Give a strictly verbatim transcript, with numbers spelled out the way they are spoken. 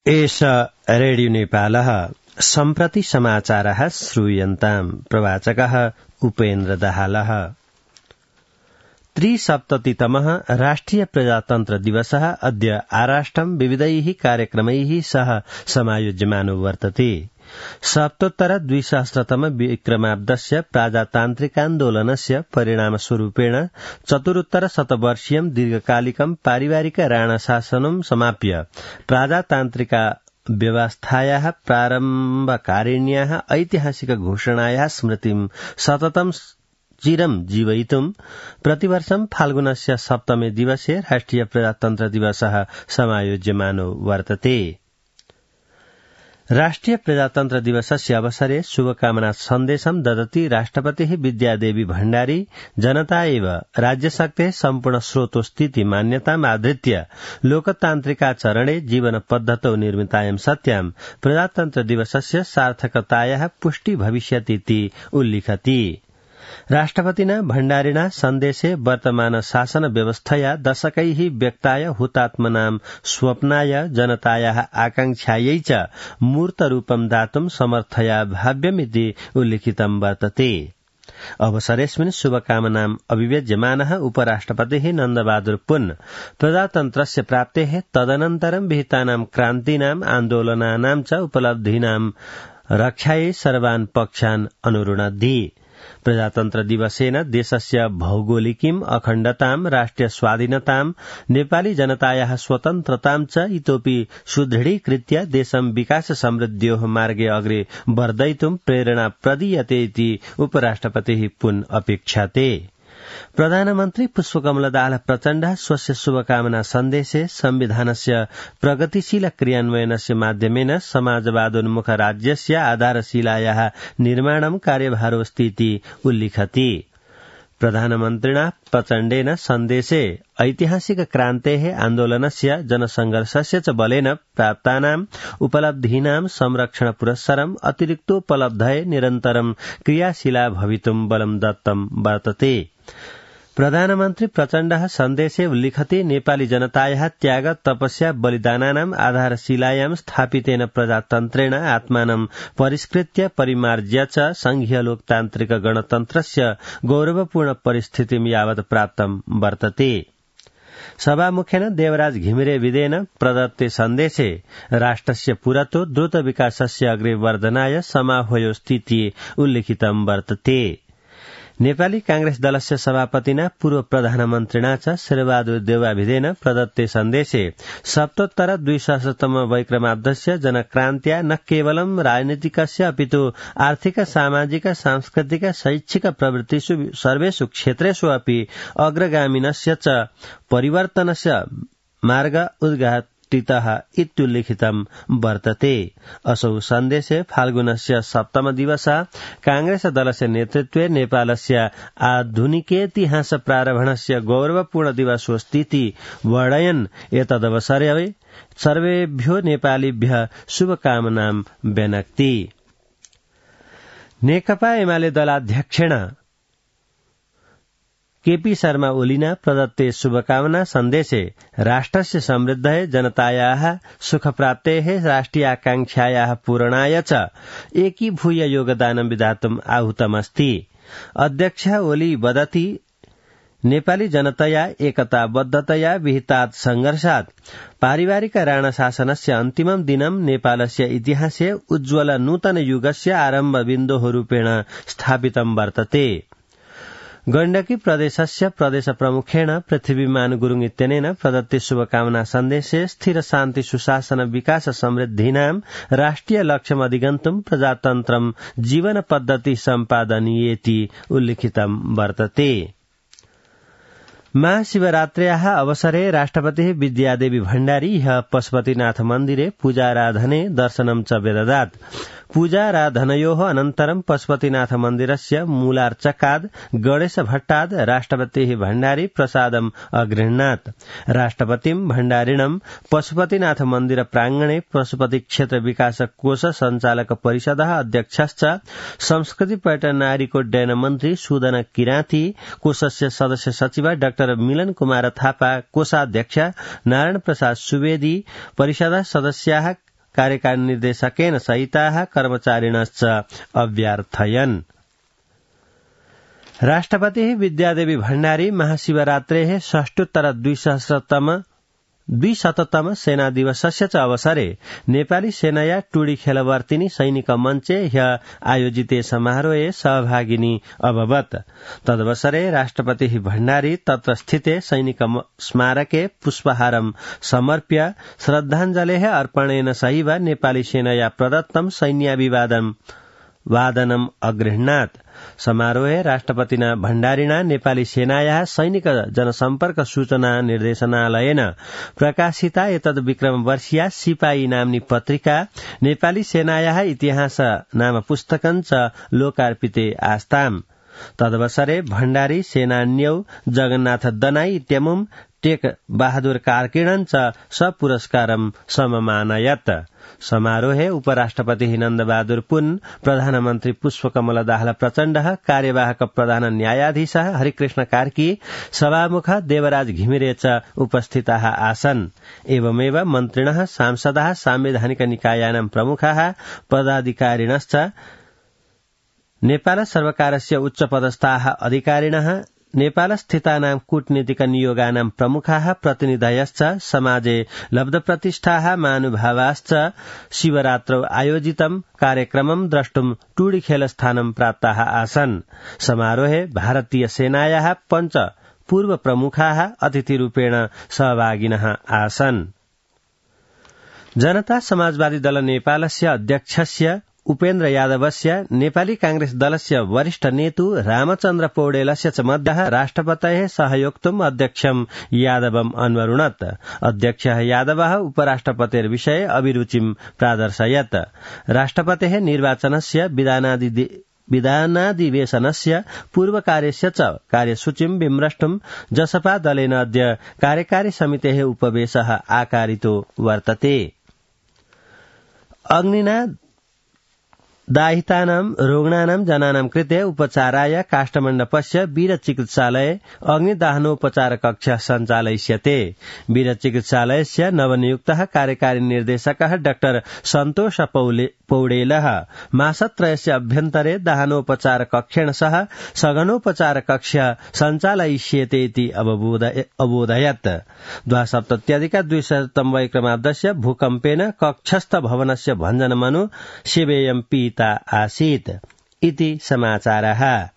एष रेडियो नेपालः सम्प्रति समाचारः श्रूयन्ताम् प्रवाचकः उपेन्द्र दाहालः। त्रिसप्ततितमः राष्ट्रिय प्रजातन्त्र दिवसः अद्य आराष्ट्रं विविधैः कार्यक्रमैः सह समायोज्यमानो वर्तते। सप्तोत्तर द्विसहस्रतम विक्रमाब्दस्य प्रजातान्त्रिकान्दोलनस्य परिणामस्वरूपेण चतुरुत्तर शतवर्षीयं दीर्घकालिकं पारिवारिक राणाशासनं समाप्य प्रजातान्त्रिका व्यवस्थायाः प्रारम्भकारिण्याः ऐतिहासिक घोषणायाः स्मृतिं सततं चिरं जीवयितुं प्रतिवर्षं फाल्गुनस्य सप्तमे दिवसे राष्ट्रिय प्रजातन्त्र दिवसः समायोज्यमानो वर्तते। राष्ट्रिय प्रजातन्त्र दिवसस्य अवसरे शुभकामना सन्देशं ददति राष्ट्रपतिः विद्यादेवी भण्डारी जनता एव राज्यशक्तेः सम्पूर्ण स्रोतोस्थिति मान्यताम् आधृत्य लोकतान्त्रिकाचरणे जीवन पद्धतौ निर्मितायां सत्यां प्रजातन्त्र दिवसस्य सार्थकतायाः पुष्टि भविष्यतीति उल्लिखति। राष्ट्रपतिना भण्डारिणा सन्देशे वर्तमान शासन व्यवस्थया दशकैः व्यक्ताय हुतात्मनां स्वप्नाय जनतायाः आकांक्षायै च मूर्तरूपं दातुं समर्थया भाव्यमिति उल्लिखितं वर्तते। अवसरेऽस्मिन् शुभकामनाम् अभिव्यज्यमानः उपराष्ट्रपतिः नन्दबहादुर पुन् प्रजातन्त्रस्य प्राप्तेः तदनन्तरं विहितानां क्रान्तीनाम् आन्दोलनानां च उपलब्धीनां रक्षायै सर्वान् पक्षान् अनुरुणद्धि। प्रजातन्त्र दिवसेन देशस्य भौगोलिकीम् अखण्डताम् राष्ट्रिय स्वाधीनताम् नेपाली जनतायाः स्वतन्त्रतां च इतोपि सुदृढीकृत्य देशं विकास समृद्ध्योः मार्गे अग्रे वर्धयितुं प्रेरणा प्रदीयते इति उपराष्ट्रपतिः पुन् अपेक्षते। प्रधानमन्त्री पुष्पकमल दाहाल प्रचण्डः स्वस्य शुभकामना सन्देशे संविधानस्य प्रगतिशील क्रियान्वयनस्य माध्यमेन समाजवादोन्मुख राज्यस्य आधारशिलायाः निर्माणं कार्यभारोऽस्ति इति उल्लिखति। प्रधानमन्त्रिणा प्रचण्डेन सन्देशे ऐतिहासिक क्रान्तेः आन्दोलनस्य जनसंघर्षस्य च बलेन प्राप्तानाम् उपलब्धीनां संरक्षण पुरस्सरम् अतिरिक्तोपलब्धये निरन्तरं क्रियाशीला भवितुं बलं दत्तं वर्तते। प्रधानमन्त्री प्रचण्डः सन्देशे उल्लिखति नेपाली जनतायाः त्याग तपस्या बलिदानानाम् आधारशिलायां स्थापितेन प्रजातन्त्रेण आत्मानं परिष्कृत्य परिमार्ज्य च संघीय लोकतान्त्रिक गणतन्त्रस्य गौरवपूर्ण परिस्थितिं यावत् प्राप्तं वर्तते। सभामुखेन देवराज घिमिरे विदेन प्रदत्ते सन्देशे राष्ट्रस्य पुरतो द्रुत विकासस्य अग्रे वर्धनाय समाह्वयोस्तीति उल्लिखितं वर्तते। नेपाली कांग्रेस दलस्य सभापतिना पूर्व प्रधानमन्त्रिणा च शेरबहादुर देउवाभिदेन प्रदत्ते सन्देशे सप्तोत्तर द्विसहस्रतम वैक्रमाब्दस्य जनक्रान्त्या न केवलं राजनीतिकस्य अपितु आर्थिक सामाजिक सांस्कृतिक शैक्षिक प्रवृत्तिषु सर्वेषु क्षेत्रेषु अपि अग्रगामिनस्य च परिवर्तनस्य मार्ग उद्घाटितः इत्युल्लिखितं वर्तते। असौ सन्देशे फाल्गुनस्य सप्तम दिवसः कांग्रेस दलस्य नेतृत्वे नेपालस्य आधुनिकेतिहास प्रारम्भणस्य गौरवपूर्ण दिवसोऽस्तीति वर्णयन् एतदवसरे सर्वेभ्यो नेपालीभ्यः शुभकामनां व्यनक्ति। नेकपा एमाले दलाध्यक्षेण केपी शर्मा ओलीना प्रदत्ते शुभकामना सन्देशे राष्ट्रस्य समृद्धये जनतायाः सुखप्राप्तेः राष्ट्रियाकांक्षायाः पूरणाय च एकीभूय योगदानं विधातुम् आहूतमस्ति। अध्यक्ष ओली वदति नेपाली जनतया एकताबद्धतया विहितात् संघर्षात् पारिवारिक राणाशासनस्य अन्तिमं दिनं नेपालस्य इतिहासे उज्ज्वल नूतन युगस्य आरम्भबिन्दोः रूपेण स्थापितं वर्तते। गण्डकी प्रदेशस्य प्रदेश प्रमुखेण पृथ्वीमान गुरुङ इत्यनेन प्रदत्ते शुभकामना सन्देशे स्थिर शान्ति सुशासन विकास समृद्धिनां राष्ट्रिय लक्ष्यम् अधिगन्तुं प्रजातन्त्रं जीवन पद्धति सम्पादनीयेति उल्लिखितं वर्तते। महाशिवरात्र्याः अवसरे राष्ट्रपतिः विद्यादेवी भण्डारी ह्यः पशुपतिनाथ मन्दिरे पूजाराधने दर्शनं च व्यददात्। पूजाराधनयोः अनन्तरं पशुपतिनाथ मन्दिरस्य मूलार्चकाद् गणेश भट्टाद् राष्ट्रपतिः भण्डारी प्रसादम् अगृह्णात्। राष्ट्रपतिं भण्डारिणं पशुपतिनाथ मन्दिर प्राङ्गणे पशुपति क्षेत्र विकास कोष सञ्चालक परिषदः अध्यक्षश्च संस्कृति पर्यटन नागरिकोड्डयन मन्त्री सुदन किराँती, कोषस्य सदस्य सचिव डाक्टर मिलन कुमार थापा, कोषाध्यक्ष नारायण प्रसाद सुवेदी, परिषद सदस्याः कार्यकारी निर्देशकेन सहिताः कर्मचारिणश्च अव्यर्थयन्। राष्ट्रपतिः विद्यादेवी भण्डारी महाशिवरात्रेः षष्ठोत्तर द्विसहस्रतम द्विशततम सेना दिवसस्य च अवसरे नेपाली सेनाया टुडी खेलवर्तिनी सैनिक मञ्चे ह्य आयोजिते समारोहे सहभागिनी अभवत्। तदवसरे राष्ट्रपतिः भण्डारी तत्र स्थिते सैनिक स्मारके पुष्पहारं समर्प्य श्रद्धाञ्जलेः अर्पणेन सहैव नेपाली सेनाया प्रदत्तं सैन्याभिवादन वादनम् अगृह्णात्। समारोहे राष्ट्रपतिना भण्डारिणा नेपाली सेनायाः सैनिक जनसम्पर्क सूचना निर्देशनालयेन प्रकाशिता एतद् विक्रम वर्षीया सिपाही नाम्नी पत्रिका नेपाली सेनायाः इतिहास नाम पुस्तकं च लोकार्पिते आस्ताम्। तदवसरे भण्डारी सेनान्यौ जगन्नाथ दनाई इत्यमुं टेक बहादुर कार्किणन् च सपुरस्कारं सममानयत्। समारोहे उपराष्ट्रपतिः नन्दबहादुर पुन, प्रधानमन्त्री पुष्पकमल दाहाल प्रचण्डः, कार्यवाहक प्रधान न्यायाधीशः हरिकृष्ण कार्की, सभामुख देवराज घिमिरे च उपस्थिताः आसन्। एवमेव मन्त्रिणः, सांसदाः, सांविधानिक निकायानां प्रमुखाः, पदाधिकारिणश्च नेपाल सर्वकारस्य उच्चपदस्थाः अधिकारिणः, नेपालस्थितानां कूटनीतिक नियोगानां प्रमुखाः प्रतिनिधयश्च समाजे लब्धप्रतिष्ठाः महानुभावाश्च शिवरात्रौ आयोजितं कार्यक्रमं द्रष्टुं टुडी खेलस्थानं प्राप्ताः आसन्। समारोहे भारतीय सेनायाः पञ्च पूर्व प्रमुखाः अतिथिरूपेण सहभागिनः आसन्। जनता समाजवादी दल नेपालस्य अध्यक्षस्य उपेन्द्र यादवस्य नेपाली कांग्रेस दलस्य वरिष्ठ नेतु रामचन्द्र पौडेलस्य च मध्यः राष्ट्रपतेः सहयोक्तुम् अध्यक्षं यादवम् अन्वरुणत्। अध्यक्षः यादवः उपराष्ट्रपतेर्विषये अभिरुचिं प्रादर्शयत्। राष्ट्रपतेः निर्वाचनस्य विधानादि विधानाधिवेशनस्य पूर्वकार्यस्य च कार्यसूचिं विमृष्टुं जसपा दलेन अद्य कार्यकारी समितेः उपवेशः आकारितो वर्तते। अग्निना दाहितानां रुग्णानां जनानां कृते उपचाराय काष्ठमण्डपस्य वीर चिकित्सालये अग्निदाहनोपचार कक्ष सञ्चालयिष्यते। वीर चिकित्सालयस्य नवनियुक्तः कार्यकारी निर्देशकः डाक्टर सन्तोष पौडेलः मासत्रयस्य अभ्यन्तरे दाहनोपचार कक्षेण सह सघनोपचार कक्ष सञ्चालयिष्यते इति अबोधयत्। द्वासप्तत्यधिक द्विशततम वैक्रमाब्दस्य भूकम्पेन कक्षस्थ भवनस्य भञ्जनमनु सेवेयं पीता आसीत् इति समाचारः।